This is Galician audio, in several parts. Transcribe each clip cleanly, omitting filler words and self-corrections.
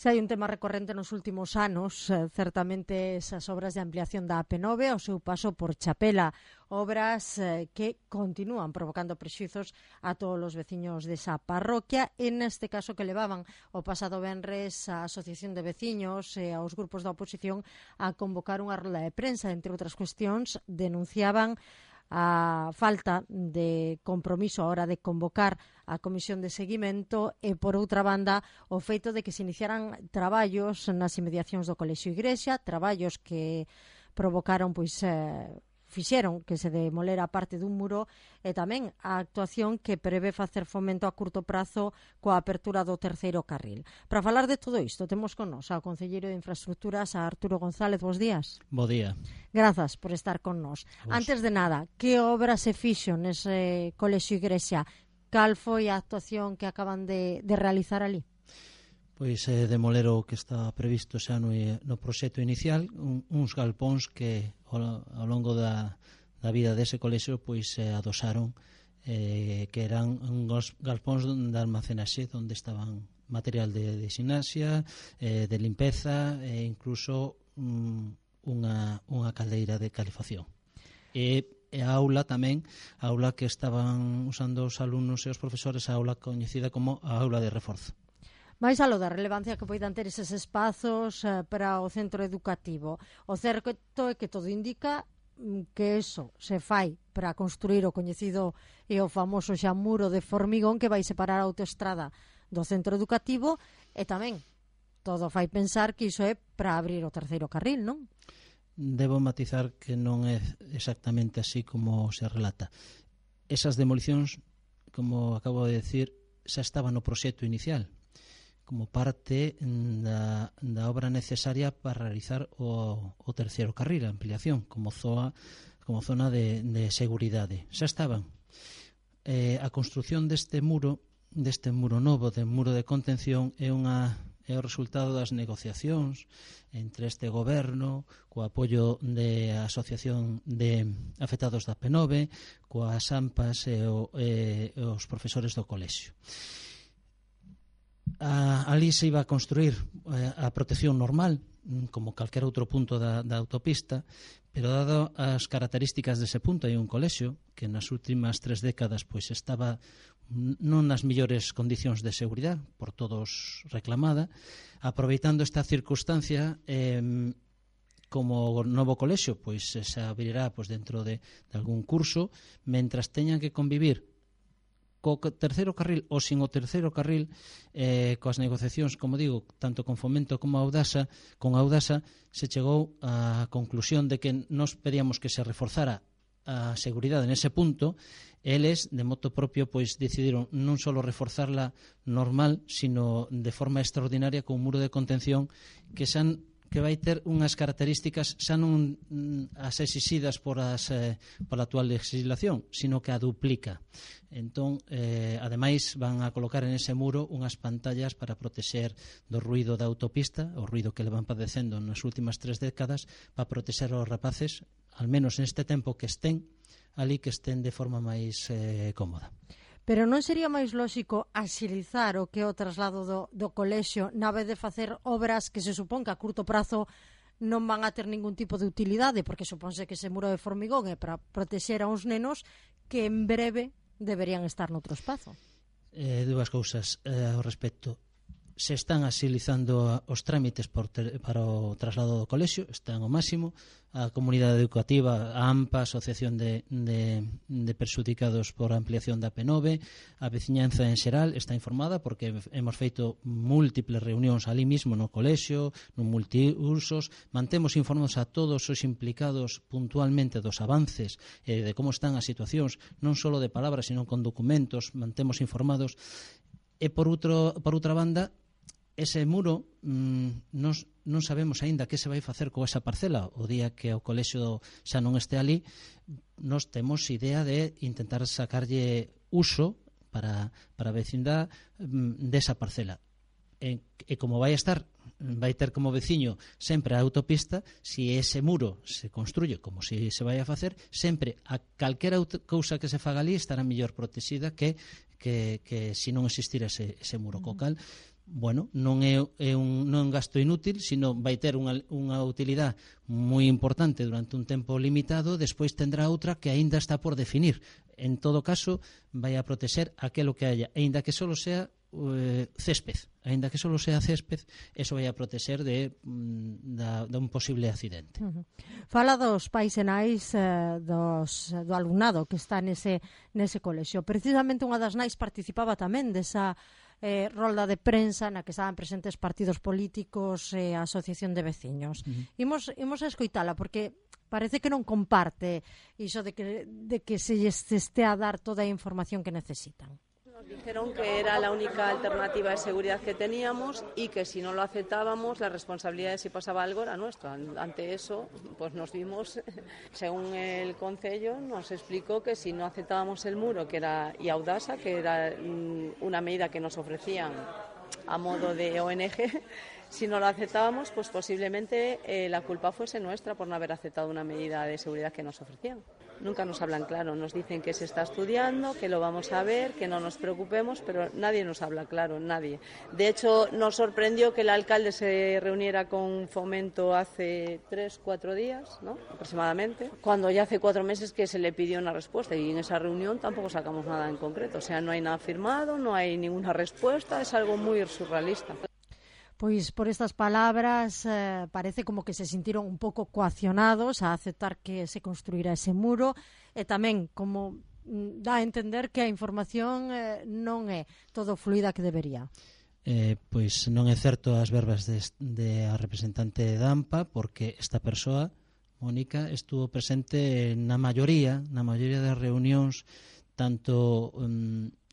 Se hai un tema recorrente nos últimos anos, certamente esas obras de ampliación da AP9 ao seu paso por Chapela, obras que continúan provocando prexuizos a todos os veciños desa parroquia, e neste caso que levaban o pasado venres a Asociación de Veciños e aos grupos da oposición a convocar unha rolda de prensa. Entre outras cuestións, denunciaban a falta de compromiso a hora de convocar a comisión de seguimento e, por outra banda, o feito de que se iniciaran traballos nas inmediacións do Colexio Igrexa, traballos que provocaron, fixeron que se demolera parte dun muro, e tamén a actuación que prevé facer fomento a curto prazo coa apertura do terceiro carril. Para falar de todo isto, temos con nos ao concelleiro de Infraestructuras, a Arturo González. Bos días. Bo día. Grazas por estar con nos. Antes de nada, que obra se fixo nese Colexio Igrexa? Cal foi a actuación que acaban de realizar ali? Pois demoler o que está previsto xa no proxecto inicial, uns galpóns que ao longo da vida dese colexio pois adosaron, que eran uns galpóns de almacenaxe onde estaban material de gimnasia, de limpeza e incluso unha caldeira de calefacción. E a aula tamén, a aula que estaban usando os alumnos e os profesores, a aula coñecida como a aula de reforzo. Mais aló da relevancia que poidan ter eses espazos para o centro educativo, o certo é que todo indica que eso se fai para construir o coñecido e o famoso xa muro de formigón que vai separar a autoestrada do centro educativo, e tamén todo fai pensar que iso é para abrir o terceiro carril, non? Debo matizar que non é exactamente así como se relata. Esas demolicións, como acabo de decir, xa estaban no proxecto inicial, como parte da obra necesaria para realizar o terceiro carril, a ampliación, como zona de seguridade. Xa estaban. A construción deste muro novo, de muro de contención, é o resultado das negociacións entre este goberno, co apoio da Asociación de Afectados da AP9, coas AMPAs e os profesores do colexio. Ali se iba a construir a protección normal, como calquera outro punto da autopista, pero dado as características dese punto, hai un colexio que nas últimas 3 décadas pois estaba non nas mellores condicións de seguridade, por todos reclamada, aproveitando esta circunstancia, como novo colexio pois se abrirá pois dentro de algún curso, mentras teñan que convivir co terceiro carril ou sin o terceiro carril, coas negociacións, como digo, tanto con Fomento como con Audasa, se chegou á conclusión de que nos pedíamos que se reforzara a seguridade nese punto. Eles, de moto propio, pois decidiron non só reforzarla normal, sino de forma extraordinaria con un muro de contención que vai ter unhas características xa non as exixidas pola actual legislación, sino que a duplica. Entón, ademais, van a colocar en ese muro unhas pantallas para protexer do ruido da autopista, o ruido que le van padecendo nas últimas 3 décadas, para protexer os rapaces, al menos neste tempo que estén ali, que estén de forma máis cómoda. Pero non sería máis lóxico axilizar o que é o traslado do colexio, na vez de facer obras que se supón que a curto prazo non van a ter ningún tipo de utilidade, porque supónse que ese muro de formigón é para protexer a uns nenos que en breve deberían estar noutro espazo? Dúas cousas ao respecto. Se están axilizando os trámites para o traslado do colexio, están ao máximo. A comunidade educativa, a AMPA, a Asociación de Perxudicados por a Ampliación da AP9, a veciñanza en xeral está informada, porque hemos feito múltiples reunións ali mismo no colexio, no multiusos. Mantemos informados a todos os implicados puntualmente dos avances e de como están as situacións, non só de palabras, sino con documentos. Mantemos informados. E por outra banda, ese muro non sabemos aínda que se vai facer con esa parcela. O día que o colexio xa non este ali, nos temos idea de intentar sacarlle uso para a vecindade desa parcela. E como vai ter como veciño sempre a autopista, se ese muro se construye como se vai a facer, sempre a calquera cousa que se faga ali estará mellor protexida que se non existira ese muro. Co cal, bueno, non é un gasto inútil, sino vai ter unha utilidade moi importante durante un tempo limitado, despois tendrá outra que aínda está por definir. En todo caso, vai a proteger aquelo que haya, aínda que solo sea césped, eso vai a proteger de un posible accidente. Fala dos pais e nais do alumnado que está nese colexio. Precisamente unha das nais participaba tamén desa rolda de prensa na que estaban presentes partidos políticos e a Asociación de Veciños. Imos a escoitala porque parece que non comparte iso de que se este a dar toda a información que necesitan. Nos dijeron que era la única alternativa de seguridad que teníamos y que si no lo aceptábamos la responsabilidad de si pasaba algo era nuestra. Ante eso pues nos vimos, según el concello nos explicó que si no aceptábamos el muro y Audasa, que era una medida que nos ofrecían a modo de ONG, si no lo aceptábamos pues posiblemente la culpa fuese nuestra por no haber aceptado una medida de seguridad que nos ofrecían. Nunca nos hablan claro, nos dicen que se está estudiando, que lo vamos a ver, que no nos preocupemos, pero nadie nos habla claro, nadie. De hecho, nos sorprendió que el alcalde se reuniera con Fomento hace 3-4 días, ¿no? Aproximadamente, cuando ya hace 4 meses que se le pidió una respuesta y en esa reunión tampoco sacamos nada en concreto. O sea, no hay nada firmado, no hay ninguna respuesta, es algo muy surrealista. Pois por estas palabras parece como que se sentiron un pouco coaccionados a aceptar que se construirá ese muro e tamén como dá a entender que a información non é todo fluida que debería. Pois non é certo as verbas de a representante da AMPA porque esta persoa, Mónica, estuvo presente na maioría das reunións tanto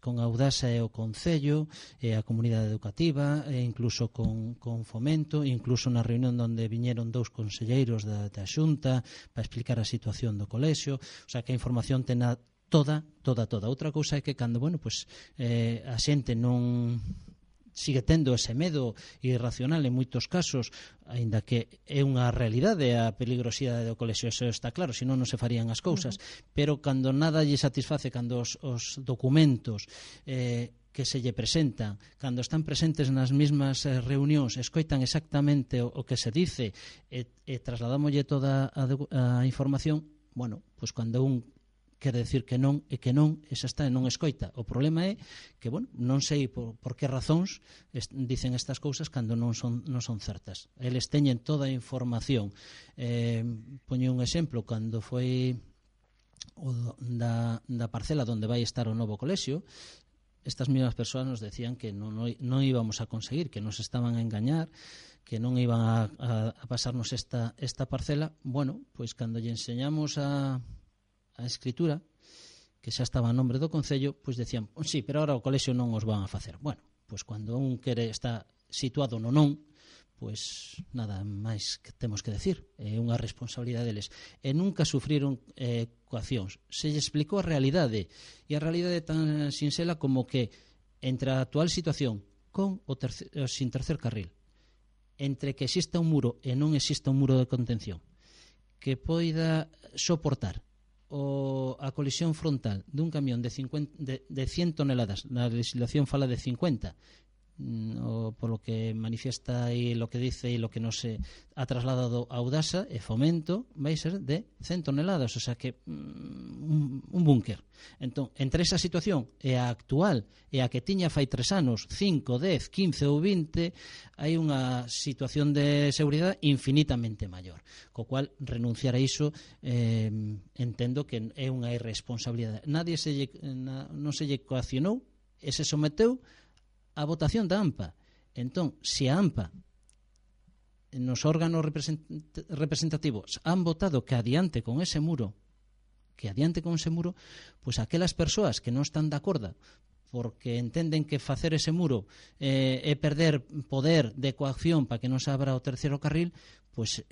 con Audasa e o Concello, e a comunidade educativa, e incluso con Fomento, incluso na reunión onde viñeron 2 conselleiros da Xunta para explicar a situación do colexio, o sea que a información tena toda. Outra cousa é que cando, a xente non sigue tendo ese medo irracional en moitos casos, aínda que é unha realidade a peligrosidade do colexio, eso está claro, senón non se farían as cousas, pero cando nada lle satisface, cando os documentos que se lle presentan, cando están presentes nas mesmas reunións, escoitan exactamente o que se dice e trasladámoslle toda a información, pois cando un quere decir que non, e esa está e non escoita. O problema é que, non sei por que razóns dicen estas cousas cando non son certas. Eles teñen toda a información. Poño un exemplo, cando foi da parcela onde vai estar o novo colexio, estas mesmas persoas nos decían que non íbamos a conseguir, que nos estaban a engañar, que non iban a pasarnos esta parcela. Pois cando lle enseñamos a escritura, que xa estaba a nombre do Concello, pois decían, sí, pero agora o colexio non os van a facer. Pois cando un está situado no non, pois nada máis que temos que decir, é unha responsabilidade deles. E nunca sufriron coaccións. Se lle explicou a realidade, e a realidade é tan sinxela como que entre a actual situación con o sin tercer carril, entre que exista un muro e non exista un muro de contención, que poida soportar a colisión frontal dun camión de 100 toneladas, na legislación fala de 50, por lo que manifiesta e lo que dice e lo que nos ha trasladado a Audasa e Fomento, vai ser de 100 toneladas, o sea que un búnker. Entón, entre esa situación e a actual e a que tiña fai 3 anos, 5, 10, 15 ou 20, hai unha situación de seguridade infinitamente maior, co cual renunciar a iso entendo que é unha irresponsabilidade. Non se lle coaccionou e se someteu a votación da AMPA. Entón, se a AMPA nos órganos representativos han votado que adiante con ese muro, pois aquelas persoas que non están de acordo porque entenden que facer ese muro é perder poder de coacción para que non se abra o terceiro carril, pois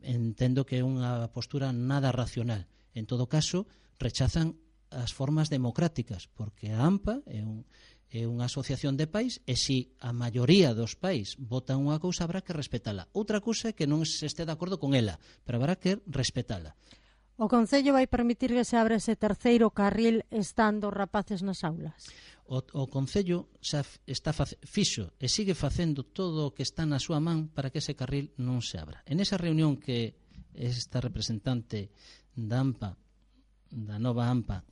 entendo que é unha postura nada racional. En todo caso, rechazan as formas democráticas, porque a AMPA é unha asociación de pais e se a maioría dos pais votan unha cousa habrá que respetala. Outra cousa é que non se este de acordo con ela, pero habrá que respetala. O Concello vai permitir que se abra ese terceiro carril estando os rapaces nas aulas? O Concello xa fixo e sigue facendo todo o que está na súa man para que ese carril non se abra. En esa reunión que esta representante da AMPA, da nova AMPA,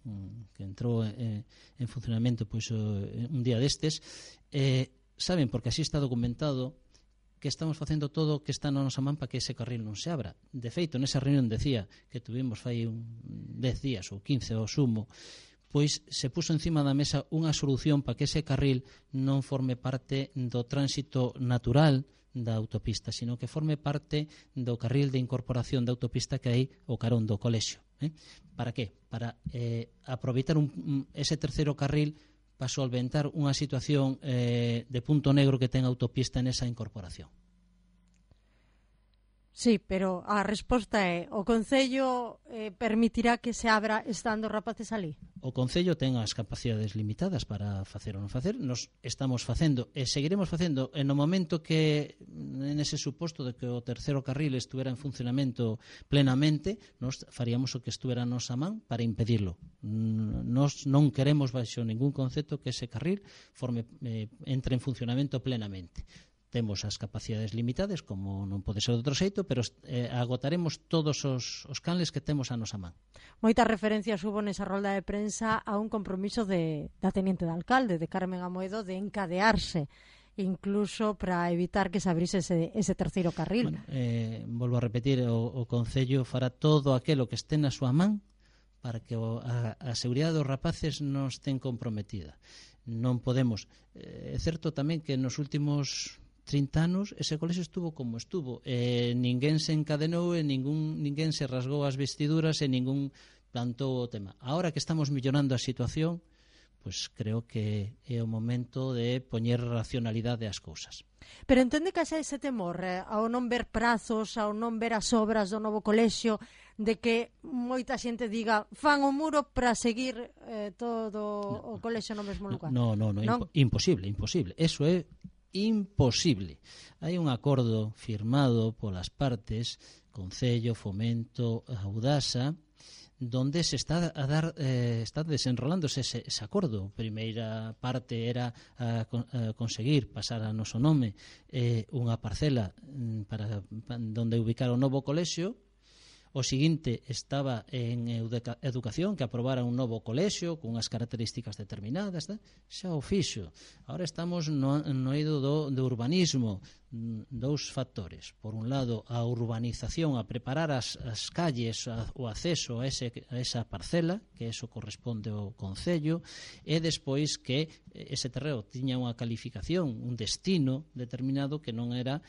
que entrou en funcionamento pois un día destes, saben, porque así está documentado, que estamos facendo todo o que está na nosa man para que ese carril non se abra. De feito, nesa reunión decía que tuvimos fai 10 días ou 15 ao sumo, pois se puso encima da mesa unha solución para que ese carril non forme parte do tránsito natural da autopista, sino que forme parte do carril de incorporación da autopista que hai o carón do colexio. Para que? Para aproveitar ese terceiro carril para solventar unha situación de punto negro que ten a autopista nesa incorporación. Sí, pero a resposta é o Concello permitirá que se abra estando os rapaces ali? O Concello ten as capacidades limitadas para facer ou non facer. Nos estamos facendo e seguiremos facendo no momento que, en ese suposto de que o terceiro carril estuvera en funcionamento plenamente, nos faríamos o que estuvera a nosa man para impedirlo. Nos non queremos baixo ningún concepto que ese carril entre en funcionamento plenamente. Temos as capacidades limitadas, como non pode ser de outro xeito, pero agotaremos todos os canles que temos a nosa man. Moitas referencias hubo nesa rolda de prensa a un compromiso da teniente de alcalde, de Carmen Amoedo, de encadearse incluso para evitar que se abrise ese terceiro carril. Bueno, volvo a repetir, o Concello fará todo aquilo que este na súa man para que a seguridade dos rapaces non estén comprometida. Non podemos. É certo tamén que nos últimos 30 anos ese colexio estuvo como estuvo, ninguén se encadenou e ninguén se rasgou as vestiduras e ningún plantou o tema. Ahora que estamos mellorando a situación, pues creo que é o momento de poñer racionalidade ás cousas. Pero entende que xa ese temor ao non ver prazos, ao non ver as obras do novo colexio, de que moita xente diga fan o muro para seguir todo o colexio no mesmo lugar? Non, imposible. Eso é imposible. Hai un acordo firmado polas partes, Concello, Fomento, Audasa, donde se está está desenrolándose ese acordo. A primeira parte era conseguir pasar a noso nome unha parcela para donde ubicar o novo colexio. O seguinte estaba en educación, que aprobara un novo colexio con unhas características determinadas, xa o fixo. Agora estamos no eido do urbanismo. Dous factores. Por un lado, a urbanización, a preparar as calles, o acceso a esa parcela, que eso corresponde ao Concello, e despois que ese terreo tiña unha calificación, un destino determinado que non era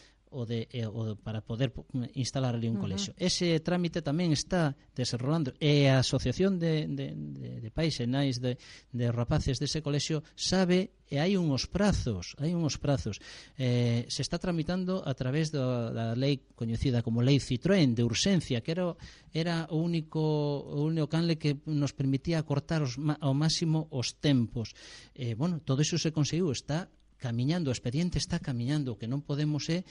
para poder instalar ali un colexio. Ese trámite tamén está desenrolando e a Asociación de Pais e Nais de rapaces dese colexio sabe e hai uns prazos. Se está tramitando a través da lei coñecida como Lei Citroën de urxencia, que era o único canle que nos permitía acortar ao máximo os tempos. Todo iso se conseguiu, está camiñando, o expediente está camiñando. O que non podemos é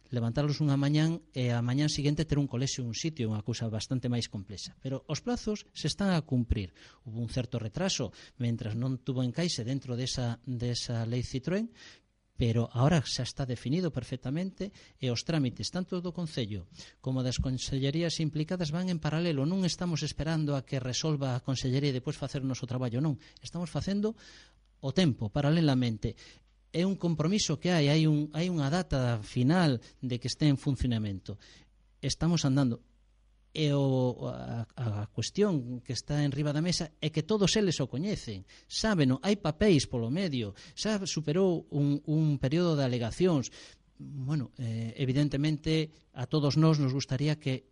levantarlos unha mañán e a mañán seguinte ter un colexio en un sitio, unha cousa bastante máis complexa. Pero os plazos se están a cumprir. Hubo un certo retraso mentras non tuvo encaixe dentro desa lei Citroën, pero ahora xa está definido perfectamente e os trámites tanto do Concello como das consellerías implicadas van en paralelo. Non estamos esperando a que resolva a consellería e depois facer o noso traballo, non. Estamos facendo o tempo, paralelamente. É un compromiso que hai unha data final de que este en funcionamento. Estamos andando. E a cuestión que está en riba da mesa é que todos eles o coñecen, sábeno, hai papéis polo medio, xa superou un período de alegacións. Evidentemente a todos nós nos gustaría que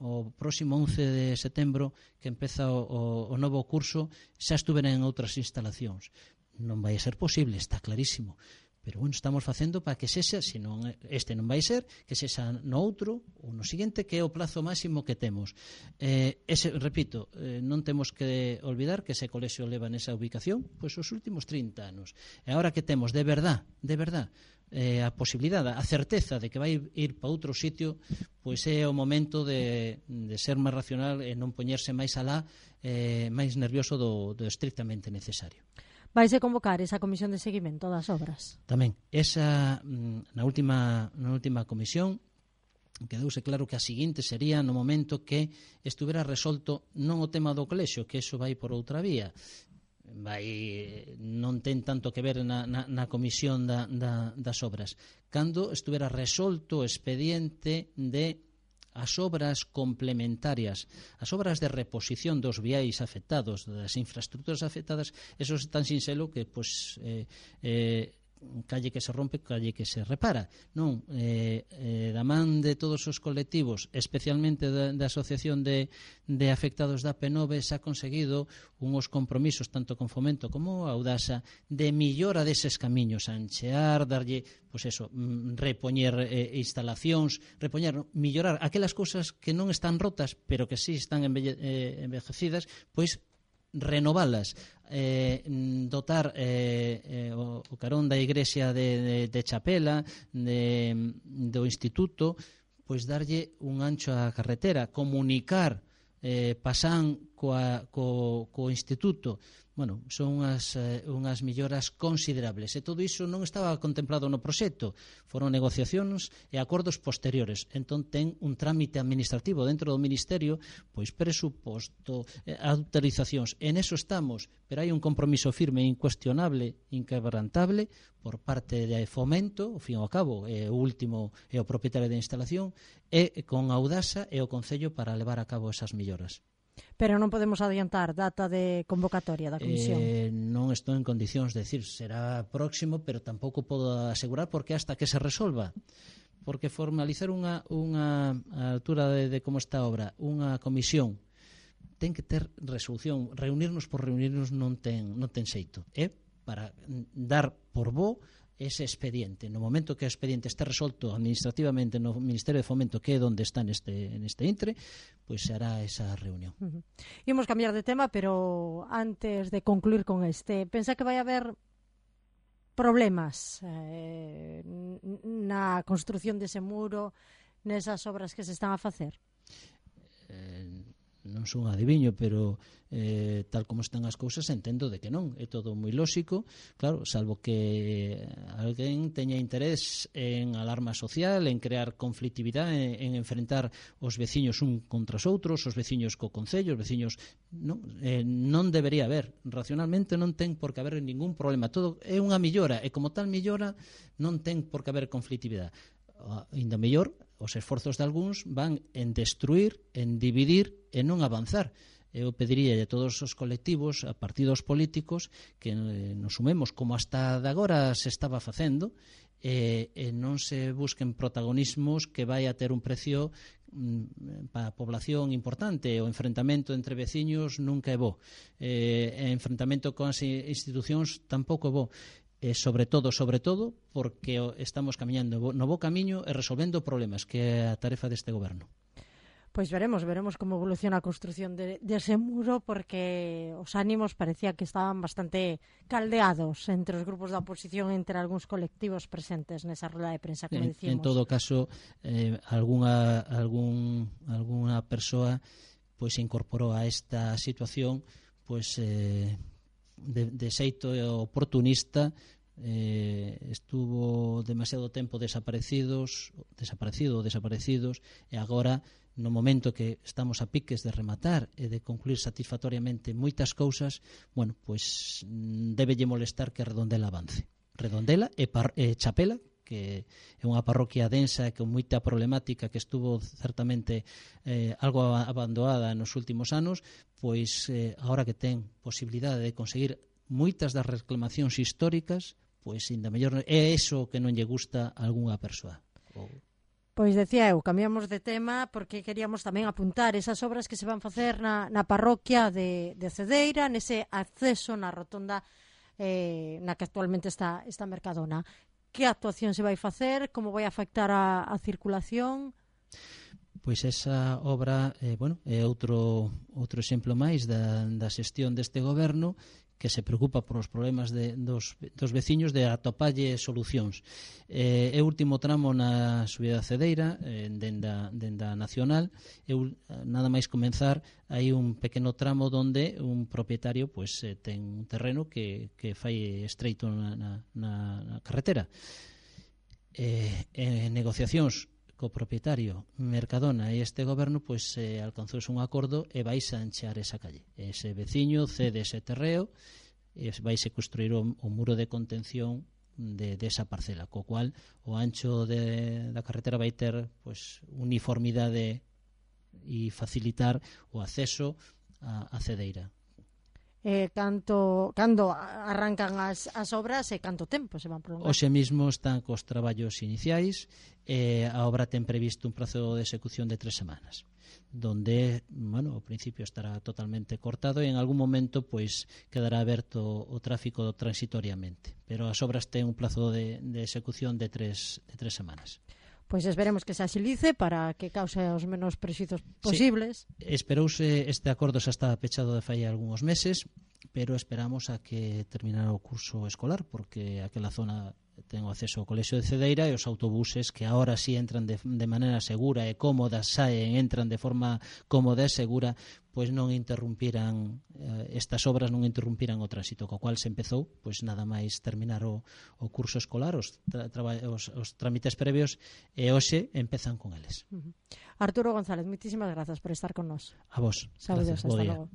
o próximo 11 de setembro, que empeza o novo curso, xa estuvera en outras instalacións. Non vai ser posible, está clarísimo. Pero estamos facendo para que sexa, se non este non vai ser, que sexa no outro ou no seguinte, que é o plazo máximo que temos. Repito, non temos que olvidar que ese colexio leva nesa ubicación pois os últimos 30 anos. E agora que temos, de verdad, a posibilidade, a certeza de que vai ir para outro sitio, pois é o momento de ser máis racional e non poñerse máis alá, máis nervioso do estrictamente necesario. Vaise convocar esa comisión de seguimento das obras? Tamén, esa na última comisión quedouse claro que a seguinte sería no momento que estuvera resolto non o tema do colexio, que eso vai por outra vía, non ten tanto que ver na comisión das obras, cando estuvera resolto o expediente de as obras complementarias, as obras de reposición dos viais afectados, das infraestructuras afectadas. Eso é tan sinxelo que calle que se rompe, calle que se repara, non? Da man de todos os colectivos, especialmente da Asociación de Afectados da P9, se ha conseguido unhos compromisos tanto con Fomento como a Audasa de millora deses camiños, anchear, darlle, pois eso, repoñer instalacións, millorar aquelas cousas que non están rotas, pero que sí están envejecidas, pois renovalas, dotar o carón da igrexa de Chapela, do instituto, pois darlle un ancho á carretera, comunicar Pasán co instituto. Bueno, son unhas melloras considerables, e todo iso non estaba contemplado no proxecto, foron negociacións e acordos posteriores. Entón ten un trámite administrativo dentro do Ministerio, pois presuposto, autorizacións, en eso estamos, pero hai un compromiso firme, incuestionable, inquebrantable por parte de Fomento, ao fin e ao cabo, o último é o propietario da instalación, e con Audasa e o Concello para levar a cabo esas melloras. Pero non podemos adiantar data de convocatoria da comisión. Non estou en condicións de decir será próximo, pero tampouco podo asegurar porque hasta que se resolva. Porque formalizar unha altura de como está a obra, unha comisión, ten que ter resolución. Reunirnos por reunirnos non ten xeito. É para dar por bo ese expediente. No momento que o expediente este resolto administrativamente no Ministerio de Fomento, que é onde está neste intre, pois será esa reunión. Imos cambiar de tema, pero antes de concluir con este, pensa que vai haber problemas na construción dese muro, nesas obras que se están a facer? Non son adiviño, pero tal como están as cousas entendo de que non, é todo moi lóxico, claro, salvo que alguén teña interés en alarma social, en crear conflictividade, en enfrentar os veciños un contra os outros, os veciños co Concello, os veciños non debería haber, racionalmente non ten por que haber ningún problema, todo é unha millora, e como tal millora non ten por que haber conflictividade. Ainda mellor, os esforzos de algúns van en destruir, en dividir e non avanzar. Eu pediría a todos os colectivos, a partidos políticos, que nos sumemos como hasta de agora se estaba facendo, e non se busquen protagonismos que vai a ter un precio para a población importante. O enfrentamento entre veciños nunca é bo, e enfrentamento con as institucións tampouco é bo. Sobre todo, porque estamos camiñando no bo camiño e resolvendo problemas, que é a tarefa deste goberno. Pois veremos como evoluciona a construción dese muro, porque os ánimos parecía que estaban bastante caldeados entre os grupos da oposición, entre algúns colectivos presentes nesa rueda de prensa, como dicimos. En todo caso, algunha persoa pois se incorporou a esta situación pois de xeito oportunista, estuvo demasiado tempo desaparecidos, e agora, no momento que estamos a piques de rematar e de concluir satisfactoriamente moitas cousas, bueno, pois débelle molestar que Redondela avance. Redondela e Chapela, que é unha parroquia densa e con moita problemática, que estuvo certamente algo abandonada nos últimos anos, pois agora que ten posibilidade de conseguir moitas das reclamacións históricas, pois ainda mellor é eso que non lle gusta a algunha persoa. Pois decía eu, cambiamos de tema porque queríamos tamén apuntar esas obras que se van facer na parroquia de Cedeira, nese acceso na rotonda na que actualmente está Mercadona. Que actuación se vai facer? Como vai afectar a circulación? Pois esa obra é outro exemplo máis da xestión deste goberno, que se preocupa por os problemas dos veciños de atopalle solucións. É o último tramo na subida da Cedeira, dende a Nacional. Nada máis comenzar, hai un pequeno tramo onde un propietario ten un terreno que fai estreito na carretera. En negociacións co propietario Mercadona e este goberno alcanzouse un acordo e vaise a anchear esa calle. Ese veciño cede ese terreo e vaise construir o muro de contención desa parcela, co cual o ancho da carretera vai ter uniformidade e facilitar o acceso a Cedeira. Cando arrancan as obras e canto tempo se van prolongar? Hoxe mismo están cos traballos iniciais e a obra ten previsto un prazo de execución de 3 semanas, donde, ao principio estará totalmente cortado e en algún momento quedará aberto o tráfico transitoriamente, pero as obras ten un prazo de execución de 3 semanas. Pois esperemos que se axilice para que cause os menos prexuizos posibles. Sí, esperouse, este acordo xa está pechado de fai algúns meses, pero esperamos a que terminara o curso escolar, porque aquela zona ten o acceso ao colexio de Cedeira e os autobuses que agora sí entran de maneira segura e cómoda, entran de forma cómoda e segura, non interrumpiran estas obras, non interrumpiran o tránsito, co cual se empezou nada máis terminar o curso escolar, os trámites previos, e hoxe empezan con eles. Arturo González, moitísimas grazas por estar con nós. A vos. Saúdos, hasta logo.